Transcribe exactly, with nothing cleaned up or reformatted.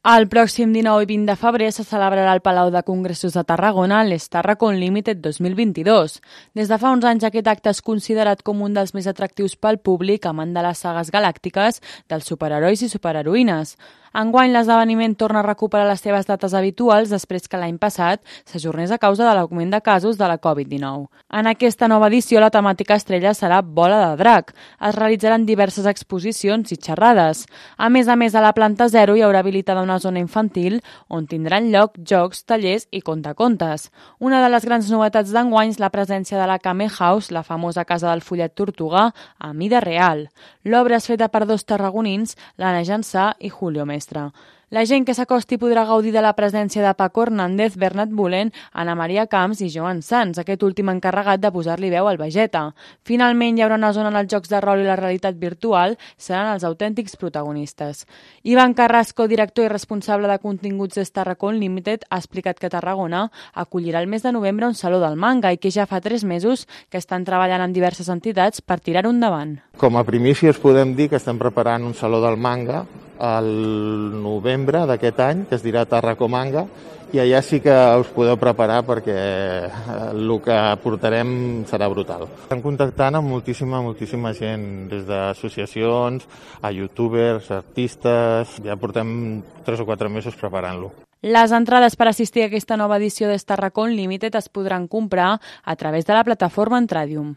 El pròxim dinou i vint de febrer se celebrarà al Palau de Congressos de Tarragona l'Starracon Limited dos mil vint-i-dos. Des de fa uns anys aquest acte és considerat com un dels més atractius pel públic amant de les sagues galàctiques dels superherois i superheroïnes. Enguany l'esdeveniment torna a recuperar les seves dates habituals després que l'any passat s'ajornés a causa de l'augment de casos de la covid dinou. En aquesta nova edició la temàtica estrella serà Bola de Drac. Es realitzaran diverses exposicions i xerrades. A més a més, a la planta zero hi haurà habilitada una zona infantil on tindran lloc jocs, tallers i contacontes. Una de les grans novetats d'enguany és la presència de la Kame House, la famosa casa del fullet tortuga, a mida real. L'obra és feta per dos tarragonins, l'Anna Jansà i Julio Mestre. La gent que s'acosti podrà gaudir de la presència de Paco Hernández, Bernat Bullen, Anna Maria Camps i Joan Sans, aquest últim encarregat de posar-li veu al Vegeta. Finalment hi haurà una zona en els jocs de rol i la realitat virtual, seran els autèntics protagonistes. Ivan Carrasco, director i responsable de continguts de Starracon Limited, ha explicat que Tarragona acollirà el mes de novembre un saló del manga i que ja fa tres mesos que estan treballant amb diverses entitats per tirar-ho endavant. Com a primícies podem dir que estem preparant un saló del manga al novembre d'aquest any, que es dirà Tarracomanga, i allà sí que us podeu preparar perquè el que portarem serà brutal. Estem contactant amb moltíssima, moltíssima gent, des d'associacions, a youtubers, artistes, ja portem tres o quatre mesos preparant-lo. Les entrades per assistir a aquesta nova edició de Starracon Limited es podran comprar a través de la plataforma Entradium.